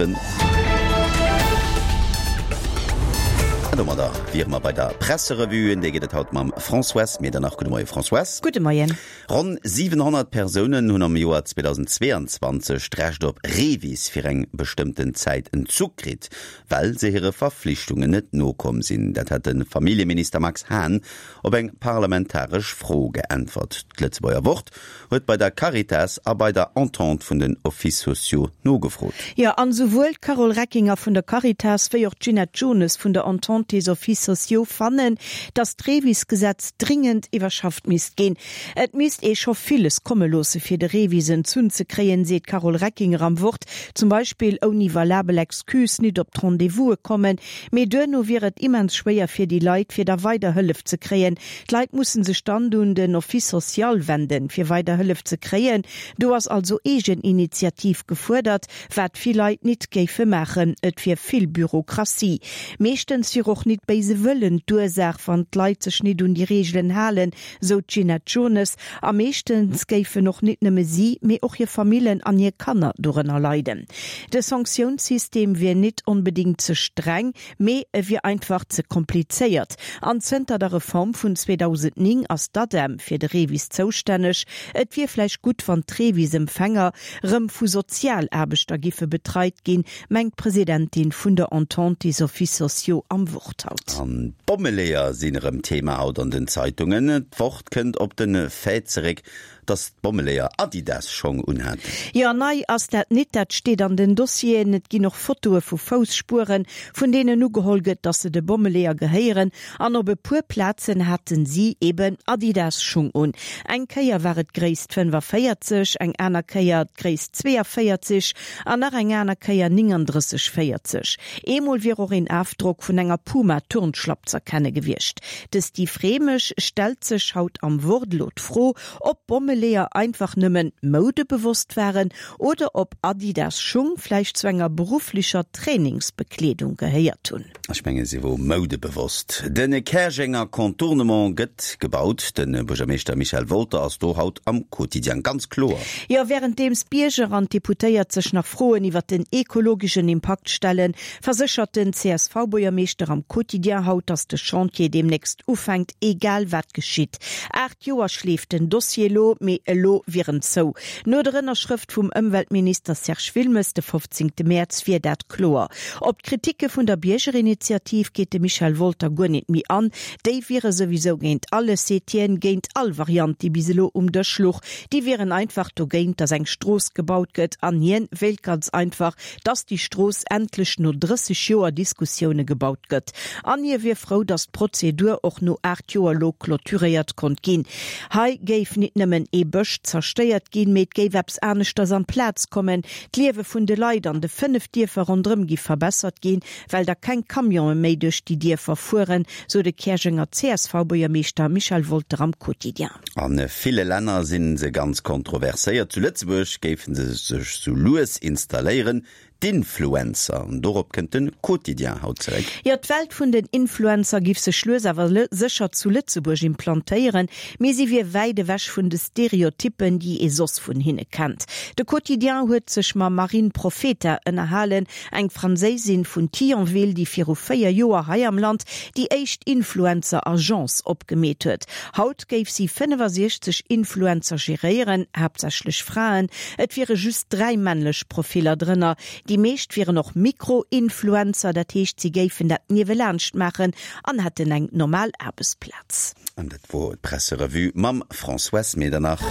7. An domadder wiere mer bei der Presserevue. Déi geet et haut mam Françoise Medernach. Gudde Moie Françoise. Gudde Moien. Ronn 700 Persounen hunn am Joer 2022 d'Recht op Revis fir eng bestëmmten Zäit entzu kritt, well se hire Verflichtungen net nokomm sinn. Dat hat de Familljeminister Max Hahn op eng parlamentaresch Fro geäntwert. D'Lëtzebuerger Wort huet bei der Caritas a bei der Entente vun den Offices sociaux nogefrot. Jo, an esouwuel d'Carole Reckinger vun der Caritas wéi och d'Ginette Jones vun der Entente des Offices sociaux fannen, datt d'Revis-Gesetz dringend iwwerschafft misst ginn. Et misst ee scho villes komme loosse fir de Revis entzunn ze kréien, seet d'Carole Reckinger am Wort, zum Beispill ouni valabel Excuse nit op d'Rendez-vouse kommen. Mee duerno wier et immens schwéier fir déi Leit, fir da weider Hëllef ze kréien. D'Leit musse sech dann un den Office social wenden, fir weider Hëllef ze kréien. Do ass also Eegeninitiativ gefuerdert, wat vill Leit nit géife maachen. Et wier vill Bürokratie. Meeschtens wier och nit béise Wëllen d'Ursaach, wann d'Leit sech nit un déi Reegelen halen, sou d'Ginette Jones. A meeschtens géifen och nit nëmme si, mee och hir Famillen an hir Kanner dorënner leiden. De Sanktiounssystem wier nit onbedéngt ze streng, mee e wier einfach ze komplizéiert. An zënter der Reform vun 2009 ass d'ADEM fir de REVIS zoustänneg. Et wier vläicht gutt, wann d'REVIS-Empfänger rëm vu Sozialaarbechter giffe betreit ginn, mengt d'Presidentin vun der Entente des Offices sociaux am Wort haut. An d'Bommeleeër sinn erëm Thema haut an den Zeitungen. D'Wort kënnt op de Fait zeréck, dass d'Bommeleeër Adidas-Schong unhaten. Jo, nei ass dat nit, dat steet an den Dossieren. Et ginn och Fotoe vu Fousspueren, vun deenen ugeholl gëtt, dass se de Bommeleeër gehéieren. An op e puer Plazen haten si eben Adidas-Schung un. Eng Kéier war et d'Gréisst 45, eng aner Kéier d'Gréisst 42 an nach eng aner Kéier 39, 40. Eemol wier och een Afdrock vun enger Puma-Turnschlapp z'erkenne gewiescht. De Steve Rehmeg stellt sech haut am Wort elo d'Fro, ob d'Bommeleeër einfach nëmmen moudebewosst waren oder ob Adidas Schung vläicht zu enger berufflecher Trainingsbekleedung gehéiert hunn. Ech menge si wor moudebewosst. De Käerjenger Contournement gëtt gebaut. De Buergermeeschter Michel Wolter ass do haut am Quotidien ganz kloer. Jo, wärenddeems d'Bierger an d'Deputéiert sech nach Froen iwwer den ekologeschen Impakt stellen, verséchert den CSV-Buergermeeschter am Quotidien haut, datt de Chantier deemnächst ufänkt, egal wat geschitt. 8 Joer schleeft den Dossier elo, mee elo wier en zou. No der Ënnerschrëft vum Ëmweltminister Serge Wilmes de 15 Mäerz wier dat kloer. Op d'Kritike vun der Biergerinitiativ geet de Michel Wolter guer nit méi an. Déi wiere souwisou géint alles, seet hien, géint all Variant, déi bis elo um Dësch luch. Déi wieren einfach dogéint, datt eng Strooss gebaut gëtt an hien wéilt ganz einfach, datt déi Strooss endlech no 30 Joer Diskussioune gebaut gëtt. An hie wier frou, datt d'Prozedur och no 8 Joer elo clôturéiert konnt ginn. Hei géif nit nëmmen ee Bësch zerstéiert ginn, mee et géif eppes aneschters amplaz kommen. D'Liewe vun de Leit an de 5 Dierfer ronderëm gi verbessert ginn, well da keng Camionë méi duerch déi Dierfer fueren, sou de Käerjenger CSV-Buergermeeschter Michel Wolter am Quotidien. A ville Länner si se ganz kontroverséiert. Zu Lëtzebuerg géife se sech sou lues installéieren, d'Influencer. An dorop kënnt de Quotidien haut zeréck. Jo, d'Welt vun den Influencer giff sech lues awer sécher zu Lëtzebuerg implantéieren, mee si wier wäit ewech vun de Stereotyppen, déi ee soss vun hinne kennt. De Quotidien huet sech mam Marine Profeta ënnerhalen, Eng Franséisin vun Thionville, déi viru 4 Joer hei am Land déi éischt Influencer-Agence opgemeet huet. Haut géif si 65 Influencer geréieren, haaptsächlech Fraen. Et wiere just 3 männlech Profiller drënner. Déi meescht wieren och Mikro-Influencer, dat heescht si géifen dat niewelaanscht maachen an hätten eng normal Aarbechtsplaz. An dat wor d'Presserevue mam Françoise Medernach.